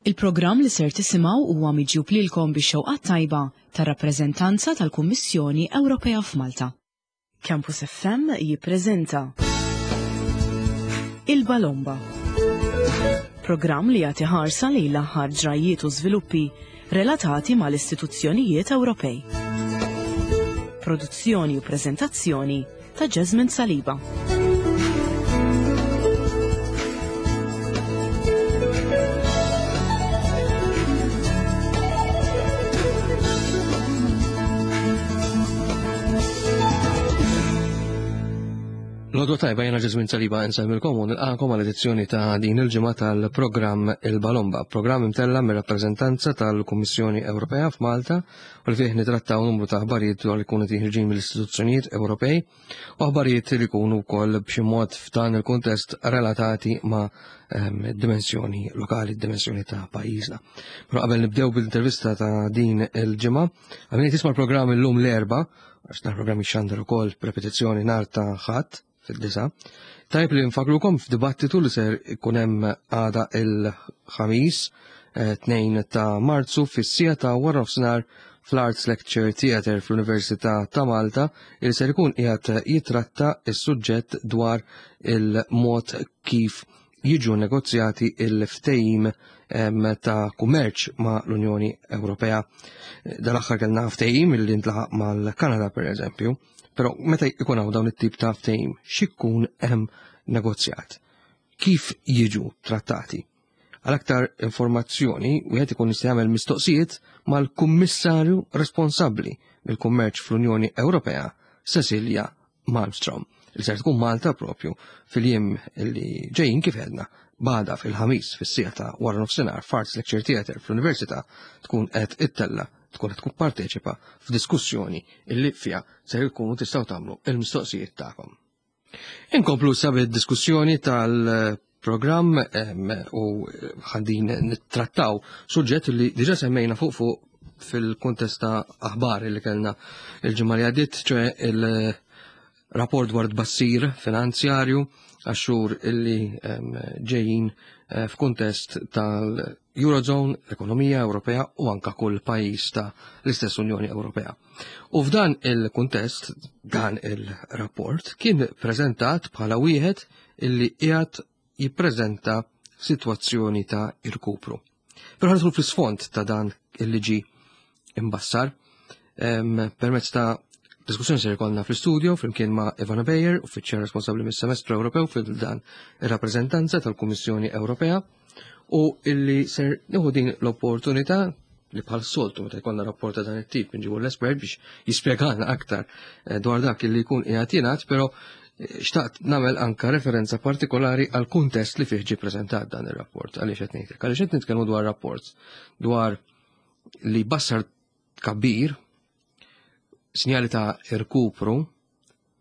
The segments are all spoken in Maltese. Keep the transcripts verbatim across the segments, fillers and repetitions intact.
Il-programm li ser tisimgħu huwa miġjub lilkom bix-xewqa tajba tar-rappreżentanza tal-Kummissjoni Ewropea f'Malta. Campus F M jippreżenta Il-Balomba. Programm li jagħti ħarsa lejn l-aħħar ġrajiet u żviluppi relatati mal-istituzzjonijiet Ewropej. Produzzjoni u preżentazzjoni ta' Jasmine Saliba. L-għodwa tajba, jiena Ġeżwin Saliba, insellmilkom u nilqagħkom għal edizzjoni ta' din il-ġimgħa tal-programm Il-Balomba, programm imtella mir-rappreżentanza tal-Kummissjoni Ewropea f'Malta u li fih nitrattaw numru ta' aħbarijiet dwar li jkunu ħerġin mill-istituzzjonijiet Ewropej u aħbarijiet li jkunu wkoll b'xi mod f'dan il-kuntest relatati ma' ehm, dimensjoni lokali, dimensjoni ta' pajjiżna. Però qabel nibdew bil-intervista ta' din il-ġimgħa, għal min tisma' l-programm illum l-Erbgħa, għax dan programm jixxandar ukoll b'repetizzjoni nhar ta' Ħadd fid-disgħa. Tajb li nfakrukom f'dibattitu li ser ikun hemm għada il-Ħamis, tnejn eh, ta' Marzu, fis-siegħa ta' wara nofsinhar fl-Arts Lecture Theatre fl-Università ta' Malta, il ser ikun qiegħed jitratta is-suġġett dwar il-mod kif jiġu negozjati il-ftehim ta' kummerċ ma' l-Unjoni Ewropea. Dal-aħħar kellna ftehim li ntlaħaq mal-Kanada, per eżempju, però meta jkun hawn dawn it-tip ta' ftehim, x'ikun hemm negozjat? Kif jiġu trattati? Għal aktar informazzjoni, wieħed ikun jista' jagħmel mistoqsijiet mal-Kummissarju responsabbli mill-kummerċ fl-Unjoni Ewropea, Cecilia Malmstrom, li ser tkun Malta propju fil-jiem li ġejjin, kif għedna, għada fil-Ħamis fis-siegħa ta' wara nofsinhar f'Arts Lecture Theatre fl-Università tkun qed ittella tkun qed tkun parteċipa f'diskussjoni illi fiha se jkunu tistgħu tagħmlu il-mistoqsijiet tagħkom. Inkomplu sa bid-diskussjoni tal-programm u ħaddin nittrattaw suġġett li diġa semmejna fuq fuq fil-kuntest ta' aħbar li kellna il-ġimgħa li għaddiet, ċoè il-rapport dwar tbassir finanzjarju għax-xhur illi ġejjin eh, f'kuntest tal-Eurozone, l-ekonomija Ewropea u anka kull pajjiż ta' l-istess Unjoni Ewropea. U f'dan il-kuntest, dan il-rapport kien preżentat bħala wieħed illi qiegħed jippreżenta sitwazzjoni ta' irkupru. Però ħa nidħlu fl-isfond ta' dan illi ġi imbassar permezz ta' diskussjoni se jkollna fl-studio flimkien ma' Ivana Beyer, uffiċjal responsabbli mis-semestru Ewropew fil-dan ir-rappreżentanza tal-Kummissjoni Ewropea, u illi ser nieħu din l-opportunità li bħal soltu meta jkollna rapport ta' dan it-tip nġibu l-espert biex jispjegana aktar eh, dwar dak li jkun qiegħed jingħad, però eh, xtaqt nagħmel anka referenza partikolari għal kuntest li fih ġie preżentat dan ir-rapport. Għaliex qed ngħidlek? Għaliex qed nitkellmu dwar rapport dwar li bassar tkabbir, sinjali ta' irkupru,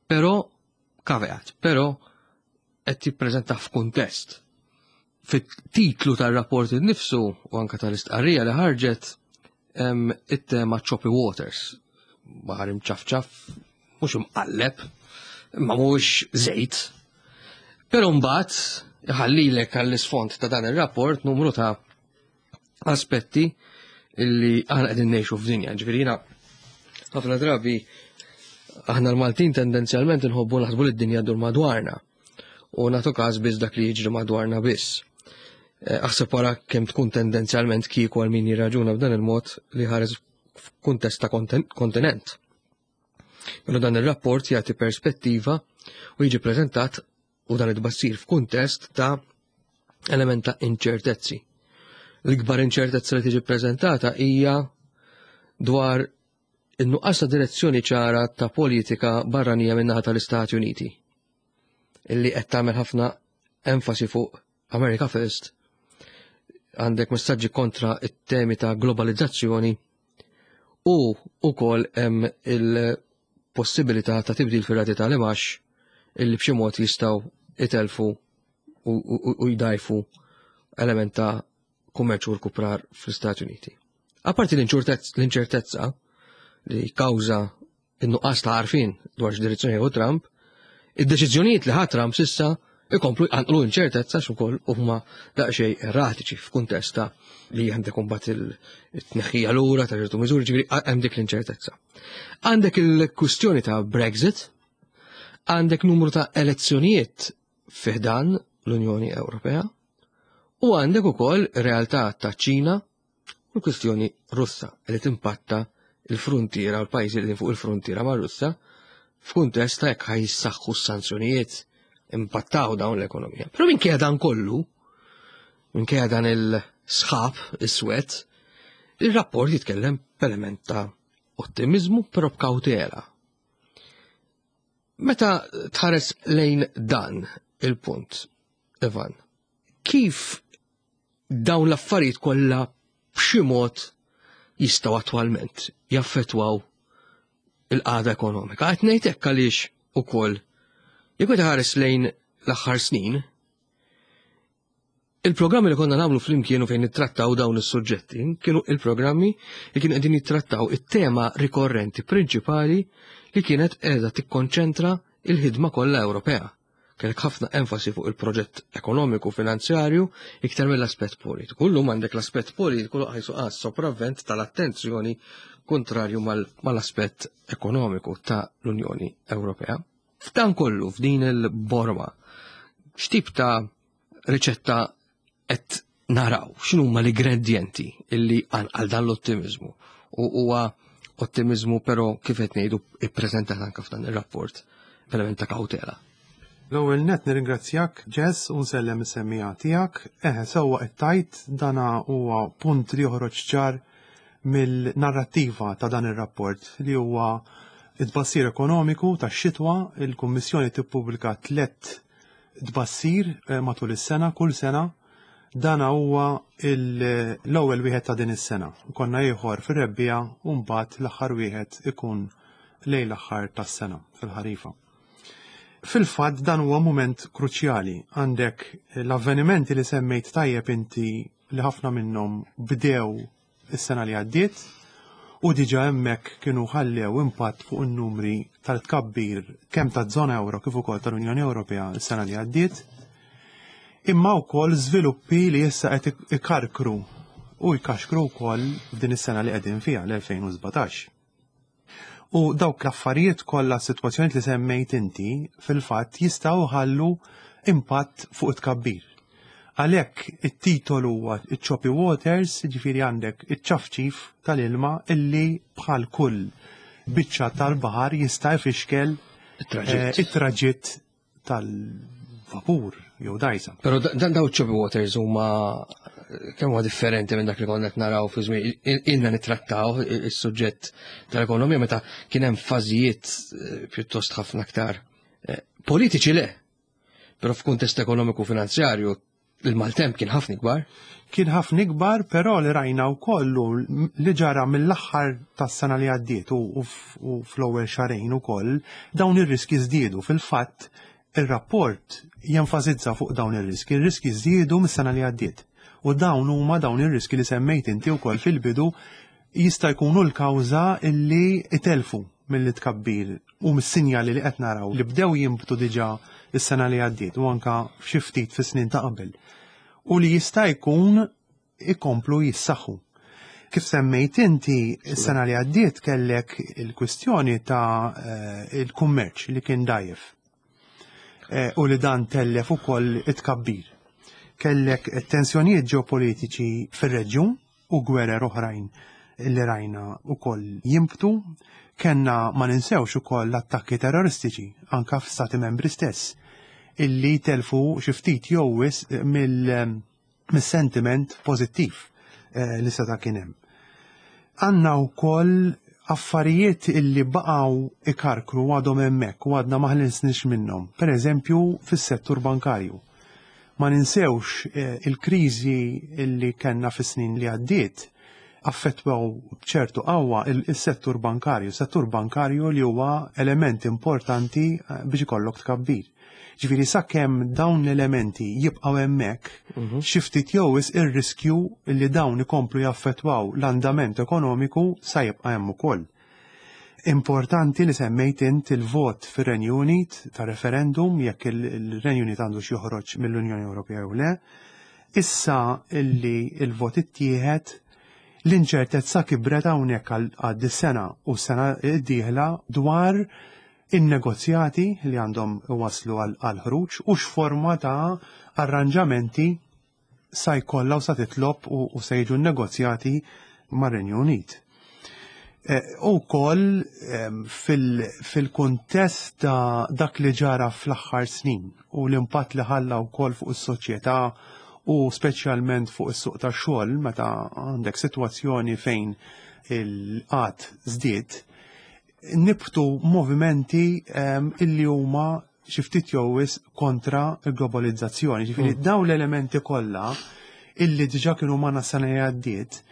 però caveat, però qed jippreżenta f'kuntest. Fit-titlu tar-rapport innifsu u anka tal-istqarrija li ħarġet hemm it-tema "Choppy Waters", baħar imċafċaf, mhux imqalleb, imma mhux żejt. Però mbagħad iħallilek għall-isfond ta' dan ir-rapport numru ta' aspetti illi aħna qegħdin ngħixu f'dinja. Ġifieri jiena ħafna drabi, aħna l-Maltin tendenzjalment nħobbu naħsbu li d-dinja dur madwarna u nagħtu każ biss dak li jiġri madwarna biss. Eh, aħseb wara kemm tkun tendenzjalment kieku għal min jirraġuna b'dan il-mod li ħares f'kuntest ta' kontinent. Però dan ir-rapport jagħti perspettiva u jiġi preżentat u dan it-tbassir f'kuntest ta' element ta' inċertezzi. L-ikbar inċertezza li tiġi preżentata hija dwar in-nuqqas ta' direzzjoni ċara ta' politika barranija min-naħa tal-Istati Uniti, illi qed tagħmel ħafna enfasi fuq America First, għandek messaġġi kontra it-temi ta' globalizzazzjoni u ukoll hemm il-possibilità ta' tibdil fir-rati tal-imgħax illi b'xi mod jistgħu itelfu u jdajfu element ta' kummerċ u rkuprar fl-Istati Uniti. Apparti l-inċertezza li kawża in-nuqqas ta' għarfien dwar x'direzzjoni hu Trump, id-deċiżjonijiet li ħa Trump s'issa ikomplu jqanqlu inċertezza ukoll huma daqsxejn erratiċi f'kuntest ta' li għandek imbagħad il-tneħħija lura ta' ċertu miżuri, ġifieri hemm dik l-inċertezza. Għandek il-kwistjoni ta' Brexit, għandek numru ta' elezzjonijiet fi ħdan l-Unjoni Ewropea u għandek ukoll realtà ta' Ċina u l-kwistjoni Russa li timpatta il-frontiera u l-pajjiżi li fuq il-frontiera ma' Russa f'kuntest ta' jekk ħa jissaħħu s-sanzjonijiet impattaw dawn l-ekonomija. Però minkejja dan kollu, minkejja dan il-sħab iswed, il-rapport jitkellem b'element ta' ottimizmu però b'kawtela. Meta tħares lejn dan il-punt, Ivan, kif dawn l-affarijiet kollha b'xi mod jistgħu attwalment jaffettwaw il-qagħda ekonomika? Qed ngħid hekk għaliex ukoll jekk tħares lejn l-aħħar snin, il-programmi li konna nagħmlu flimkien u fejn nittrattaw dawn is-suġġetti kienu il-programmi li kienu qegħdin jittrattaw it-tema rikorrenti prinċipali li kienet qiegħda tikkonċentra il-ħidma kollha Ewropea. Kellek ħafna enfasi fuq il-proġett ekonomiku finanzjarju iktar mill-aspett politiku. Illum għandek l-aspett politiku ħajsu għas sopravvent tal-attenzjoni kontrarju mal-aspett ekonomiku ta' l-Unjoni Ewropea. F'dan kollu, f'din il-borma, x'tip ta' riċetta qed naraw, x'inhuma l-ingredjenti illi għal dan l-ottimizmu? U huwa ottimizmu però kif qed ngħidu ippreżentat anke f'dan ir-rapport b'element ta' kawtela. L-ewwel net nirringrazzjak Jess u nsellem is-semmiegħa tiegħek. Eħe, sewwa qed tajt dana huwa punt li joħroġ ċar mill-narrattiva ta' dan ir-rapport li huwa it-tbassir ekonomiku tax-xitwa. Il-Kummissjoni tippubblika tliet tbassir eh, matul is-sena, kull sena. Dana huwa l-ewwel wieħed ta' din is-sena. Konna ieħor fir-rebbiegħa u mbagħad l-aħħar wieħed ikun lejn l-aħħar tas-sena fil-ħarifa. Fil-fatt dan huwa mument kruċjali. Għandek l-avvenimenti li semmejt tajjeb inti li ħafna minnhom bdew is-sena li għaddiet u diġa hemmhekk kienu ħallew impatt fuq in-numri tal-tkabbir kemm taż-żona euro kif ukoll tal-Unjoni Ewropea s-sena li għaddiet. Imma wkoll żviluppi li issa qed ikarkru u jkaxkru wkoll f'din is-sena li qegħdin fiha l-elfejn u sbatax. U dawk l-affarijiet kollha, s-sitwazzjonijiet li semmejt inti, fil-fatt jistgħu ħallu impatt fuq it-tkabbir. Għalhekk it-titolu huwa iċ-Choppy Waters, ġifieri għandek iċ-ċafċif tal-ilma illi bħal kull biċċa tal-baħar jista' jfixkel it-traġitt it-traġitt tal-vapur jew dajsa. Però dan daw Choppy Waters huma kemm huwa differenti minn dak li konna qed naraw fi żmien ilna nittrattaw is-suġġett tal-ekonomija meta kien hemm fażijiet pjuttost ħafna aktar politiċi le. Però f'kuntest ekonomiku finanzjarju il-maltemp kien ħafna ikbar. Kien ħafna ikbar, però li rajna wkoll li ġara mill-aħħar tas-sena li għaddiet u fl-ewwel xahrejn ukoll dawn ir-riski żdiedu. Fil-fatt ir-rapport jenfasizza fuq dawn ir-riski. Ir-riski żdiedu mis-sena li għaddiet. U dawn huma dawn ir-riski li semmejt inti wkoll fil-bidu jista' jkunu l-kawża illi itelfu mill-tkabbir u mis-sinjali li qed naraw li bdew jinbtu diġà is-sena li għaddiet u anka f'xi ftit fis-snin ta' qabel. U li jista' jkun ikomplu jissaħħu. Kif semmejt inti, is-sena li għaddiet kellek il-kwistjoni ta' il-kummerċ li kien dajjef. U li dan tellef ukoll it-tkabbir. Kellek tensjonijiet ġeopolitiċi fir-reġjun u gwerer oħrajn li rajna ukoll jimbtu. Kenna ma ninsewx ukoll l-attakki terroristiċi anka f'stati membri stess illi telfu xi ftit jew wisq mill-sentiment pożittiv li seta' kien hemm. Għandna wkoll affarijiet illi baqgħu ikarkru għadhom hemmhekk u għadna ma ħlinsniex minnhom. Per eżempju fis-settur bankarju. Ma ninsewx il-kriżi illi kellna fis-snin li għaddiet affettwaw b'ċertu qawwa il-settur bankarju, settur bankarju li huwa element importanti biex ikollok tkabbir. Ġifieri sakemm dawn l-elementi jibqgħu hemmhekk, xi ftit jew wisq ir-riskju li dawn ikomplu jaffettwaw l-andament ekonomiku sa jibqa' hemm ukoll. Importanti li semmejt int il-vot fir-Renju Unit ta' referendum jekk il-Renju Unit għandu joħroġ mill-Unjoni Ewropea jew le. Issa illi il-vot ittieħed, l-inċertezza kibret hawnhekk għal dis-sena u s-sena d-dieħla dwar in-negozjati li għandhom waslu għal ħruġ u x'forma ta' arranġamenti sa jkollha u sa titlob u se jiġu negozjati mar-Renju Unit. Eh, u koll fil-kuntest ta' dak li ġara fl-aħħar snin u l-impatt li ħalla wkoll fuq is-soċjetà u speċjalment fuq is-suq tax-xogħol, meta għandek sitwazzjoni fejn il-qgħad żdied, nibtu movimenti illi huma xi ftit jew kontra l-globalizzazzjoni. Ġifieri mm. dawn l-elementi kollha illi diġà kienu magħna sena li għaddiet,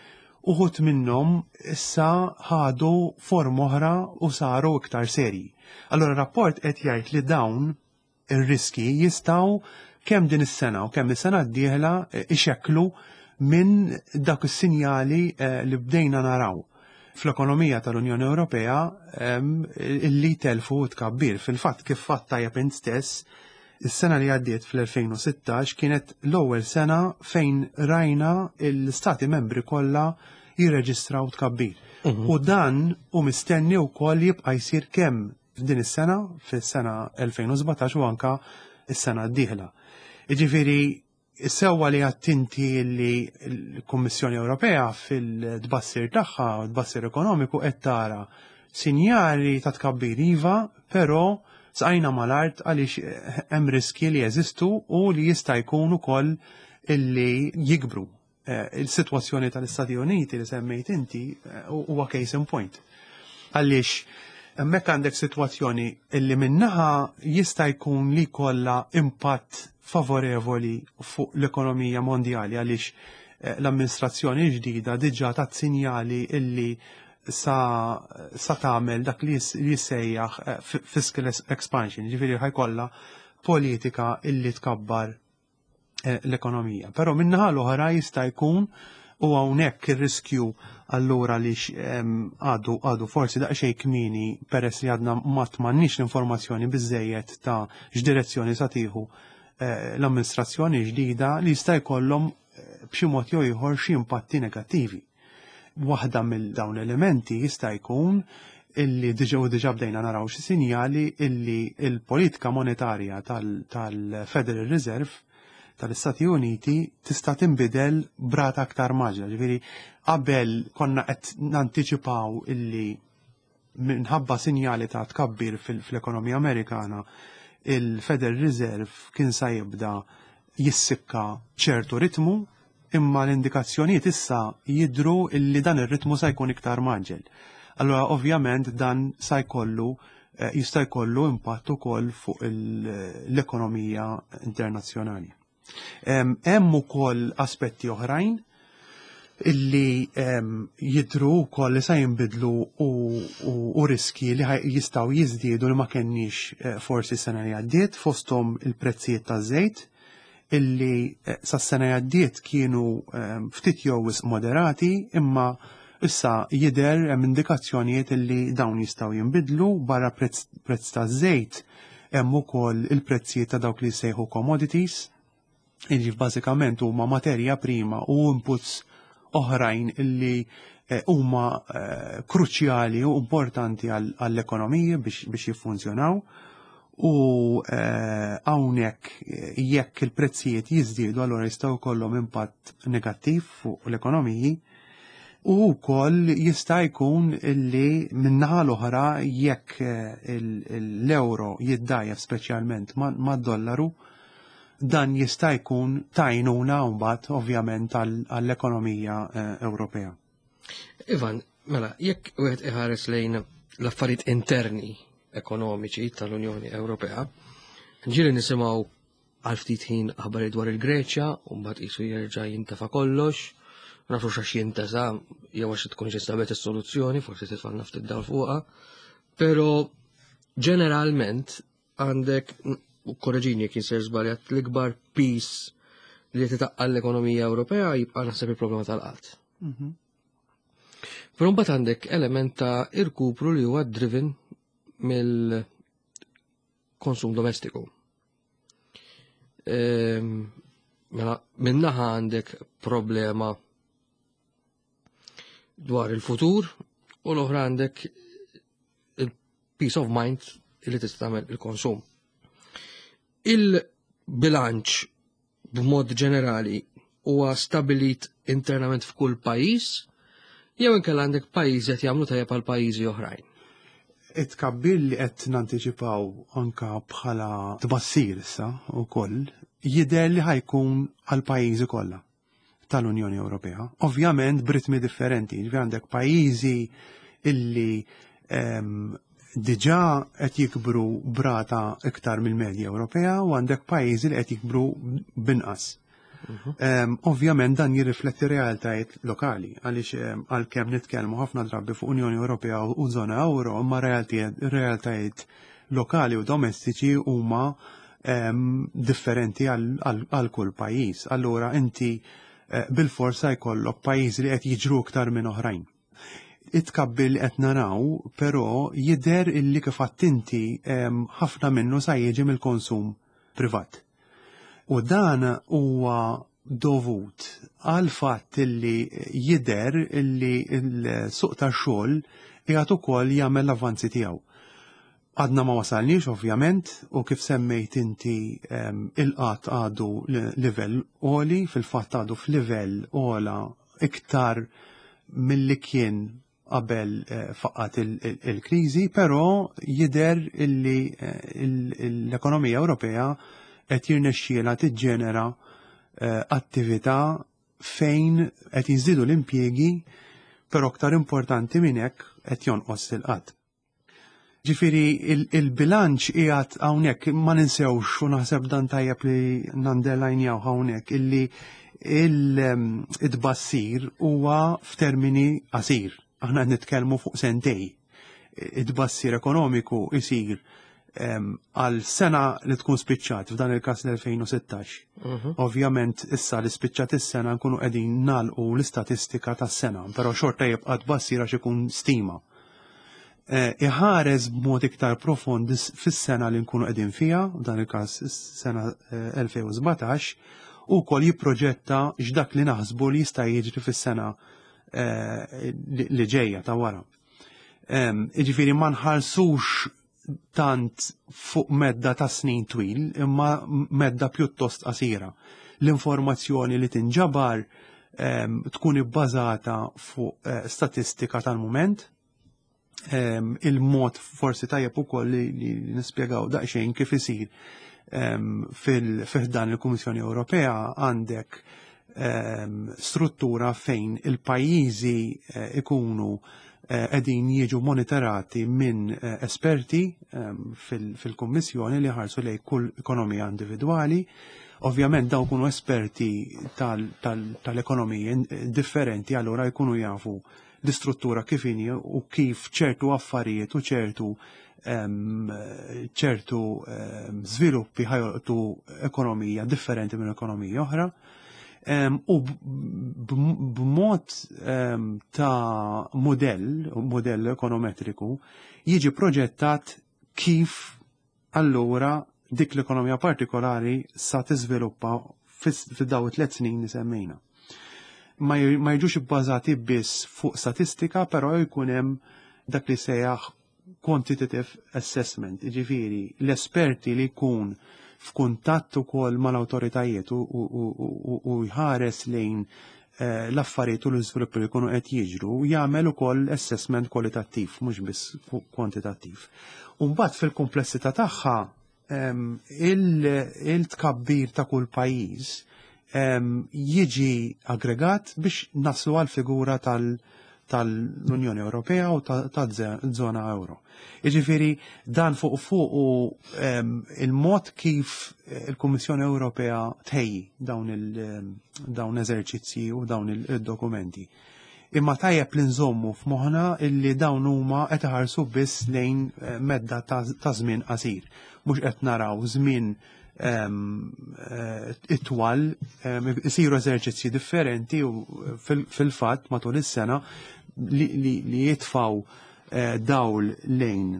uħud minnhom issa ħadu form oħra u saru iktar serji. Allora rapport qed jgħid li dawn ir-riski jistgħu kemm din is-sena u kemm is-sena d-dieħla eh, ixekklu minn dak is-sinjali eh, li bdejna naraw fl-ekonomija tal-Unjoni Ewropea illi telfu tkabbir. Fil-fatt, kif fatt tajjeb int stess, is-sena li għaddiet fl-elfejn u sittax kienet l-ewwel sena fejn rajna l-stati membri kollha jirreġistraw tkabbir. Mhm. U dan u mistenni wkoll jibqa' jsir kemm f'din is-sena, fis-sena elfejn u sbatax, u anka is-sena d-dieħla. Jiġifieri sewwa li għedt inti li l-Kummissjoni Ewropea fil-tbassir tagħha, tbassir ekonomiku, qed tara sinjali ta' tkabbir iva, però saqajna mal-art għaliex hemm riski li jeżistu u li jista' jkun ukoll illi jikbru. Eh, il-sitwazzjoni tal-Istati Uniti li semmejt inti eh, huwa case in point. Għaliex hemmhekk għandek sitwazzjoni illi minnaħa jista' jkun li kollha impatt favorevoli fuq l-ekonomija mondjali, għaliex eh, l-amministrazzjoni ġdida diġà tat sinjali illi sa, sa tagħmel dak li jissejjaħ fiscal expansion, ġifieri ħa jkollha politika illi tkabbar Eh, l-ekonomija. Però minnaħa l-oħra jista' jkun, u hawnhekk ir-riskju allura li għadu għadu forsi daqsxejn kmieni peress li għadna ma m'għandniex l-informazzjoni biżejjed ta' x'direzzjoni sa tieħu eh, l-amministrazzjoni ġdida, li jista' jkollhom eh, b'xi mod jew ieħor xi impatti negattivi. Waħda mill dawn elementi jista' jkun illi diġa u diġa bdejna naraw xi sinjali illi il-politika monetarja tal-Federal Reserve tal-Istati Uniti tista' tinbidel b'rata aktar mgħaġġla. Ġifieri qabel konna qed nantiċipaw illi minħabba sinjali ta' tkabbir fil-ekonomija Amerikana il-Federal Reserve kien sa jibda jissikka ċertu ritmu, imma l-indikazzjonijiet issa jidru illi dan ir-ritmu sa jkun iktar mgħaġġel. Allora ovvjament dan sa jkollu eh, jista' jkollu impatt ukoll fuq l-ekonomija internazzjonali. Hemm ukoll aspetti oħrajn illi jidru wkoll li sa jinbidlu u, u, u riski li jistgħu jiżdiedu li ma kenniex eh, forsi sena li għaddiet, fosthom il-prezzijiet taż-żejt illi eh, sas-sena li għaddiet kienu ftit jew moderati, imma issa jidher hemm indikazzjonijiet illi dawn jistgħu jinbidlu. Barra prezz, prezz taż-żejt hemm ukoll il-prezzijiet ta' dawk li jsejħu commodities, illi bażikament huma materja prima u inputs oħrajn illi eh, huma eh, kruċjali u importanti għall-ekonomiji biex, biex jiffunzjonaw, u eh, hawnhekk jekk il-prezzijiet jiżdiedu, allura jistgħu jkollhom impatt negattiv fuq l-ekonomiji. U wkoll jista' jkun illi min-naħa l-oħra, jekk l-euro jiddgħajjef speċjalment mad-dollaru, dan jista' jkun t'għajnuna mbagħad ovvjament għall-ekonomija eh, Ewropea. Ivan, mela, jekk wieħed iħares lejn l-affarijiet interni ekonomiċi tal-Unjoni Ewropea, ġieli nisimgħu għal ftit ħin aħbarijiet dwar il-Greċja, u mbagħad qisu jerġa' jintefa' kollox, nafu x'għax jintesa jew għax tkun ġistabet is-soluzzjoni, forsi titfalna ftit dawl fuqha, però ġeneralment għandek, u korreġini jekk jien żbaljat, l-ikbar piż li titaqqal l-ekonomija Ewropea jibqa' naħseb il-problema tal-qgħad. Mhm. Però mbagħad għandek element ta' irkupru li huwa driven mill-konsum domestiku. Ehm, mela, minnaħa għandek problema dwar il-futur u l-oħra għandek il-peace of mind li tista' tagħmel il-konsum. Il-bilanċ b'mod ġenerali huwa stabilit internament f'kull pajjiż jew inkella għandek pajjiżi qed jagħmlu tajjeb għal pajjiżi oħrajn. It-tkabbir li qed nantiċipaw anka bħala tbassir issa wkoll jidher li ħa jkun għal pajjiżi kollha tal-Unjoni Ewropea. Ovvjament b'ritmi differenti, ġifieri għandek pajjiżi illi em, diġà qed jikbru b'rata iktar mill-medja Ewropea u għandek pajjiżi li qed jikbru binqas. Um, ovvjament dan jirrifletti realtajiet lokali, għaliex um, għalkemm nitkellmu ħafna drabi fuq Unjoni Ewropea u żona euro, imma realtajiet lokali u domestiċi huma um, differenti għal kull pajjiż. Allura inti uh, bil-forsa jkollok pajjiżi li qed jiġru iktar minn oħrajn. It-tkabbir li qed naraw, però jidher illi kif inti ħafna minnu sa jiġi mill-konsum privat. U dan huwa dovut għal fatt illi jidher illi l-suq tax-xogħol qiegħed ukoll jagħmel l-avvanzi tiegħu. Għadna ma wasalniex ovvjament u kif semmejt inti il-qgħad għadu livell għoli, fil-fatt għadu f'livell ogħla iktar milli kien qabel eh, faqqat il-kriżi, però jidher illi eh, l-ekonomija Ewropea qed jirnexxiela tiġġenera eh, attività fejn qed jiżdiedu l-impjiegi, però aktar importanti minn hekk qed jonqos il-qgħad. Ġifieri il-bilanċ qiegħed hawnhekk ma ninsewx u naħseb dan tajjeb li nunderlinjaw hawnhekk illi il-tbassir huwa f'termini qasir. Aħna qed nitkellmu fuq sentejn. It-tbassir ekonomiku isir għal sena li tkun spiċċat, f'dan il-kas l-elfejn u sittax. Mhm. Ovvjament issa li spiċċat is-sena nkunu qegħdin nagħlqu l-istatistika tas-sena, però xorta jibqa' tbassir għax ikun stima. Eh, iħares b'mod iktar profond fis-sena li nkunu qegħdin fiha, f'dan il-każ is-sena elfejn u sbatax, u wkoll jipproġetta x'dak li naħsbu li jista' jiġri fis-sena eh, li ġejja ta' wara. Jiġifieri ma nħarsux tant fuq medda ta' snin twil, imma medda pjuttost qasira. L-informazzjoni li tinġabar tkun ibbażata fuq eh, statistika tal-moment, il-mod forsi tajjeb ukoll li, li nispjegaw daqsxejn kif isir fil-ħdan il-Kummissjoni Ewropea għandek struttura fejn il-pajjiżi eh, ikunu eh, qegħdin jiġu monitorati minn eh, esperti fil-Kummissjoni li ħarsu lejn kull ekonomija individwali. Ovvjament dawn kunu esperti tal-ekonomiji differenti, allura jkunu jafu l-istruttura kif inhi u kif ċertu affarijiet u ċertu ċertu żviluppi ħa jolqtu ekonomija differenti minn ekonomija oħra. U b'mod ta' modell, modell ekonometriku, jiġi proġettat kif allura dik l-ekonomija partikolari sa tiżviluppa fid-daw tliet snin li semmejna. Ma jiġux ibbażati biss fuq statistika, però jkun hemm dak li sejjaħ quantitative assessment, ġifieri l-esperti li jkun f'kuntatt ukoll mal-awtoritajiet u jħares lejn eh, l-affarijiet u l-iżviluppi li jkunu qed jiġru, jagħmel ukoll assessment kwalitattiv, mhux biss kwantitattiv. U mbagħad fil-komplessità tagħha il-tkabbir ta' kull pajjiż jiġi aggregat biex naslu għal figura tal- tal-Unjoni Ewropea u tal-żona euro. Jiġifieri dan fuq fuq u il-mod kif il-Kummissjoni Ewropea tħejji dawn il-dawn eżerċizzji u dawn il-dokumenti. Imma tajjeb li nżommu f'moħħna illi dawn huma qed iħarsu biss lejn eh, medda ta' żmien qasir. Mhux qed naraw żmien eh, itwal, isiru eżerċizzji differenti u fil-fatt matul is-sena li, li, li jitfaw eh, dawl lejn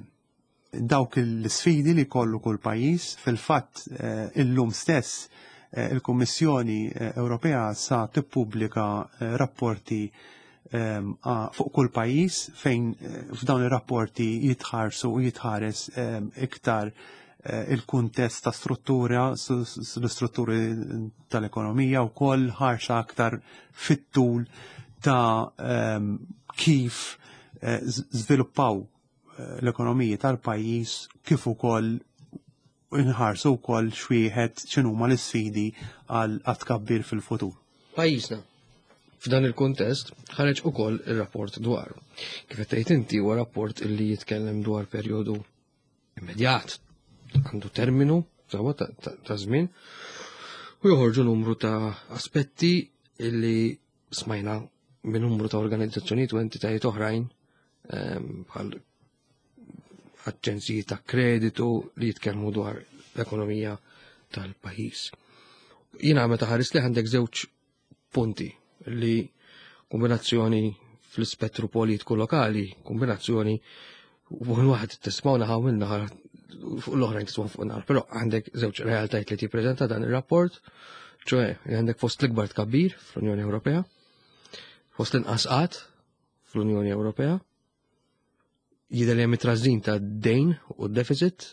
dawk l-sfidi li kollu kull pajjiż. Fil-fatt eh, illum stess eh, il-Kummissjoni eh, Ewropea sa tippubblika eh, rapporti ehm, a- fuq kull pajjiż fejn eh, f'dawn ir-rapporti jitħarsu u jitħares ehm, iktar eh, il-kuntest ta' struttura, l-istrutturi tal-ekonomija u koll ħarsa aktar fit-tul ta' ehm, kif eh, żviluppaw eh, l-ekonomiji tal-pajjiż, kif ukoll inħarsu wkoll xwieħed x'inhuma l-isfidi għal tkabbir fil-futur. Pajjiżna f'dan il-kuntest ħareġ ukoll ir-rapport dwaru. Kif qed tgħid inti, huwa rapport illi jitkellem dwar perjodu immedjat, għandu terminu sewwa ta' ta' ta' żmien u joħorġu numru ta' aspetti illi smajna minn numru ta' organizzazzjonijiet u entitajiet oħrajn ehm, bħal aġenziji ta' kreditu li jitkellmu dwar l-ekonomija tal-pajjiż. Jiena meta ħares li għandek żewġ punti li kombinazzjoni fl-ispettru politiku lokali, kombinazzjoni u waħed tismaw naħa minn naħa fuq l-oħrajn tismaw fuq naħa, però għandek żewġ realtajiet li tippreżenta dan ir-rapport, ċoè li għandek fost l-ikbar tkabbir fl-Unjoni Ewropea, fost l-inqas qgħad fl-Unjoni Ewropea, jidher li hemm it-trażżin ta' dejn u deficit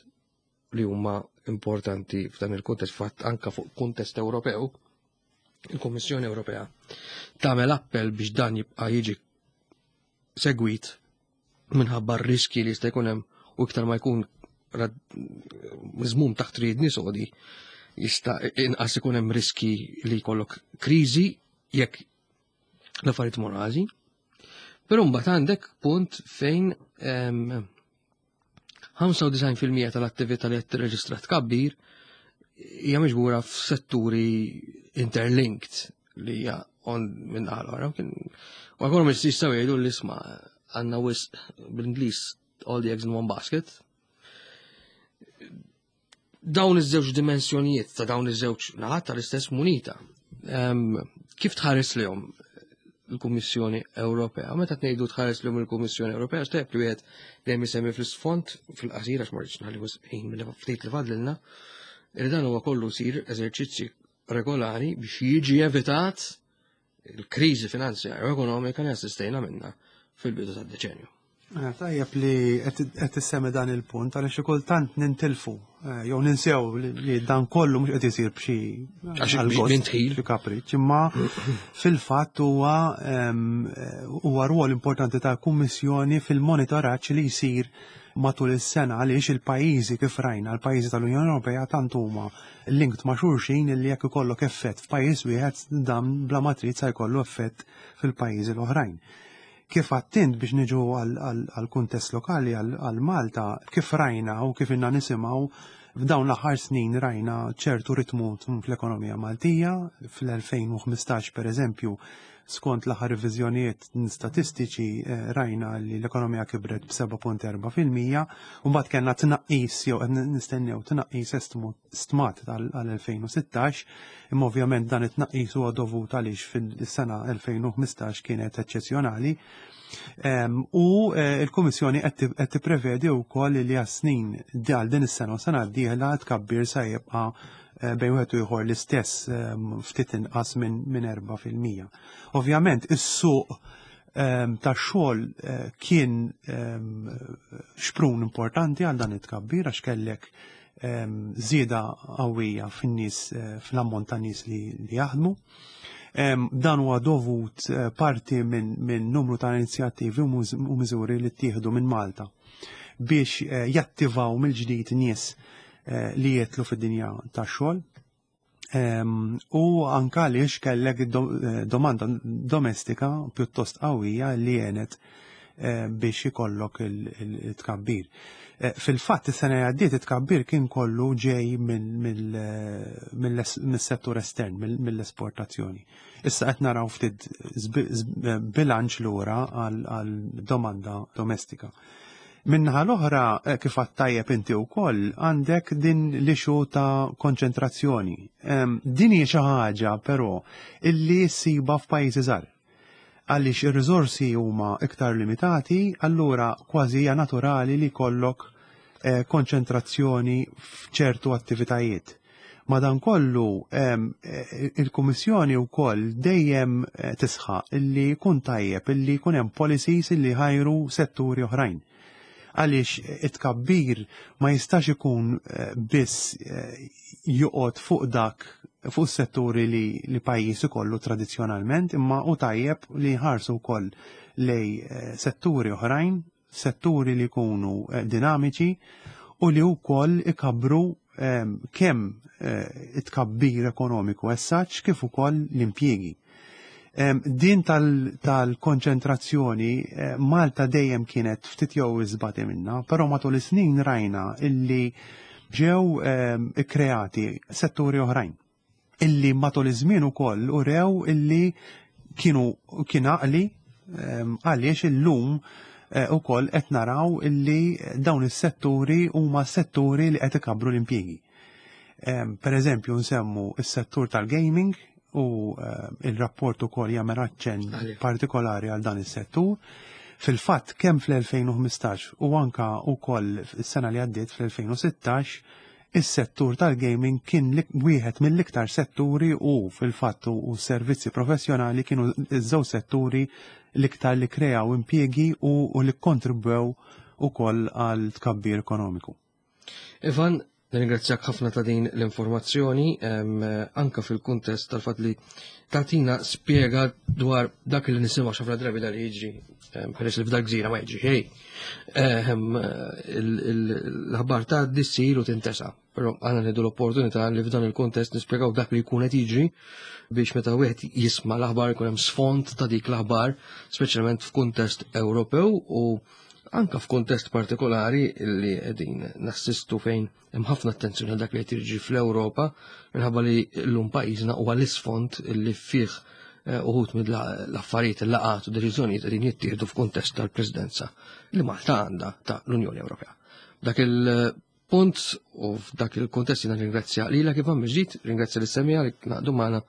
li huma importanti f'dan il-kuntest, fatt anka fuq kuntest Ewropew, il-Kummissjoni Ewropea tagħmel appell biex dan jibqa' jiġi segwit minħabba r-riski li jista' jkun hemm, u iktar ma jkun miżmum taħt riedni sodi jista' inqas ikun hemm riski li jkollok kriżi jekk l-affarijiet imorru ħażin. Però mbagħad għandek punt fejn em, ħamsa u disgħin fil-mija tal-attività li qed tirreġistra tkabbir hija miġbura f'setturi interlinked li hija on minn naħa l-oħra. Kien- U ekonomisti jistgħu jgħidu li isma' għandna wisq, bl-Ingliż, all the eggs in one basket. Dawn iż-żewġ dimensjonijiet ta' dawn iż-żewġ naħat tal-istess munita. Em, Kif tħares lihom il-Kummissjoni Ewropea? Meta tgħidu tħares lihom il-Kummissjoni Ewropea, xtejb li wieħed dejjem isemmi fl-isfond fil-qasir, għax ma rridx nħalli wisq ħin mill ftit li fadlilna, li dan huwa kollu sir eżerċizzi regolari biex jiġi evitat il-kriżi finanzjarja u ekonomika li assistejna minna fil-bidu tad-deċenju. Eh, Tajjeb li qed issemmi dan il-punt għaliex xi kultant nintilfu eh, jew ninsew li li dan kollu mhux qed isir b'xi Għax għal-gost, minn tħil. xi kapriċ, imma fil-fatt huwa em, eh, huwa rwol importanti ta' kummissjoni fil-monitoraġġ li jsir matul is-sena, għaliex il-pajjiżi, kif rajna, l-pajjiżi tal-Unjoni Ewropea tant huma linked ma' xulxin li jekk ikollok effett f'pajjiż wieħed, dan bla ma trid sa jkollu effett fil-pajjiżi l-oħrajn. Kif għedt int, biex niġu għal-kuntest lokali, għal Malta, kif rajna u kif ilna nisimgħu f'dawn l-aħħar snin, rajna ċertu ritmu fl-ekonomija Maltija. Fl-elfejn u ħmistax, per eżempju, skont l-aħħar reviżjonijiet statistiċi, eh, rajna li l-ekonomija kibret b'seba punt erbgħa fil-mija u mbagħad kellna tnaqqis jew qed nistennew tnaqqis estmu stmat għal-elfejn u sittax, imma ovvjament dan it-tnaqqis huwa dovut għaliex fil-sena elfejn u ħmistax kienet eċċezzjonali. Em, U eh, il-Kummissjoni qed ti- qed tipprevedi wkoll li għas-snin għal din is-sena u sena d-dieħla tkabbir sa jibqa' eh, bejn wieħed u ieħor l-istess, em, ftit inqas minn minn erba' fil-mija. Ovvjament is-suq em, tax-xogħol eh, kien em, xprun importanti għal dan it-tkabbir, għax kellek em, żieda qawwija fin-nies, eh, fl-ammont ta' nies li, li jaħdmu. Em, Dan huwa dovut eh, parti minn min numru ta' inizjattivi u muż- u miżuri li ttieħdu minn Malta biex eh, jattivaw mill-ġdid nies eh, li jidħlu fid-dinja tax-xogħol. Em, U anka għaliex kellek do, eh, domanda domestika pjuttost qawwija li għenet eh, biex ikollok il-tkabbir. Eh, Fil-fatt, is-sena li għaddiet it-tkabbir kien kollu ġej mill-settur estern, mill-esportazzjoni. Issa qed naraw ftit bilanċ lura għal domanda domestika. Min-naħa l-oħra, eh, kif tajjeb inti wkoll, għandek din l-issue ta' konċentrazzjoni. Din hija xi ħaġa però illi ssiba f'pajjiżi żgħar. Għaliex ir-riżorsi huma iktar limitati, allura kważi hija naturali li jkollok eh, konċentrazzjoni f'ċertu attivitajiet. Madankollu eh, il-Kummissjoni wkoll dejjem eh, tisħaq illi jkun tajjeb illi jkun hemm policies illi ħajru setturi oħrajn. Għaliex it-tkabbir ma jistax ikun eh, biss joqgħod fuq dak fuq setturi li, li pajjiż ikollu tradizzjonalment, imma u tajjeb li jħarsu wkoll lej setturi oħrajn, setturi li jkunu dinamiċi u li wkoll ikabbru kemm it-tkabbir ekonomiku as such kif ukoll l-impjiegi. Din tal-konċentrazzjoni Malta dejjem kienet ftit jew iżbati minna, però matul is-snin rajna illi ġew ikkreati setturi oħrajn illi matul iż-żmien ukoll urew illi kienu kien għaqli għaliex illum ukoll qed naraw illi dawn is-setturi huma setturi li qed ikabbru l-impjiegi. Per eżempju nsemmu is-settur tal-gaming u il-rapport ukoll jagħmel aċċenn partikolari għal dan is-settur. Fil-fatt kemm fl-elfejn u ħmistax u anka wkoll is-sena li għaddiet fl-elfejn u sittax, is-settur tal-gaming kien wieħed mill-iktar setturi u fil-fatt u servizzi professjonali kienu iż-żewġ setturi l-iktar li kreaw impjiegi u, u li kontribwew ukoll għal tkabbir ekonomiku. Ivan, nirringrazzjak ħafna ta' din l-informazzjoni, anka fil-kuntest tal-fatt li tatina spjega dwar dak li nisimgħu ħafna drabi dal jiġri, peress li f'dal gżira ma jiġri xejn. L-aħbar ta' dissir u tintesa. Però għandna nieħdu l-opportunità li f'dan il-kuntest nispjegaw dak li jkun qed jiġri biex meta wieħed jisma' l-aħbar ikun hemm sfond ta' dik l-aħbar, speċjalment f'kuntest Ewropew u anka f'kuntest partikolari li qegħdin nassistu fejn hemm ħafna attenzjoni għal dak li qed jiġri fl-Ewropa minħabba li llum pajjiżna huwa l-isfond li fih uħud mill-affarijiet il-laqgħat u deċiżjonijiet qegħdin jittieħdu f'kuntest tal-Presidenza li Malta għandha ta' l-Unjoni Ewropea. Dak il-punt u f'dak il-kuntest jiena ringrazzja lilek Ivan mill-ġdid, ringrazzja lis-semmiegħa li naqdu magħna.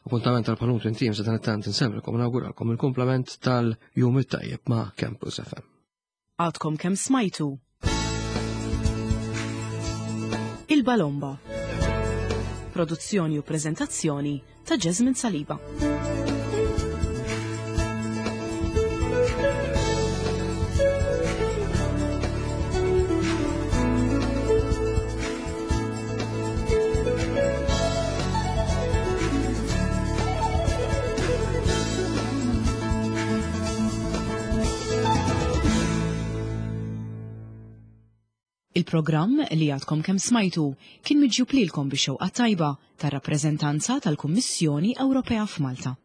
Appuntament tal-Palunt Intim sa dan it-tant insemmilkom u nawguralkom il-kumplament tal-jum it-tajjeb ma' Campus F M. Għadkom kemm smajtu Il-Balomba. Produzzjoni u prezentazzjoni ta' Jasmine Saliba. Il-programm li għadkom kemm smajtu kien miġjub lilkom bix-xewqa tajba tar-rappreżentanza tal-Kummissjoni Ewropea f'Malta.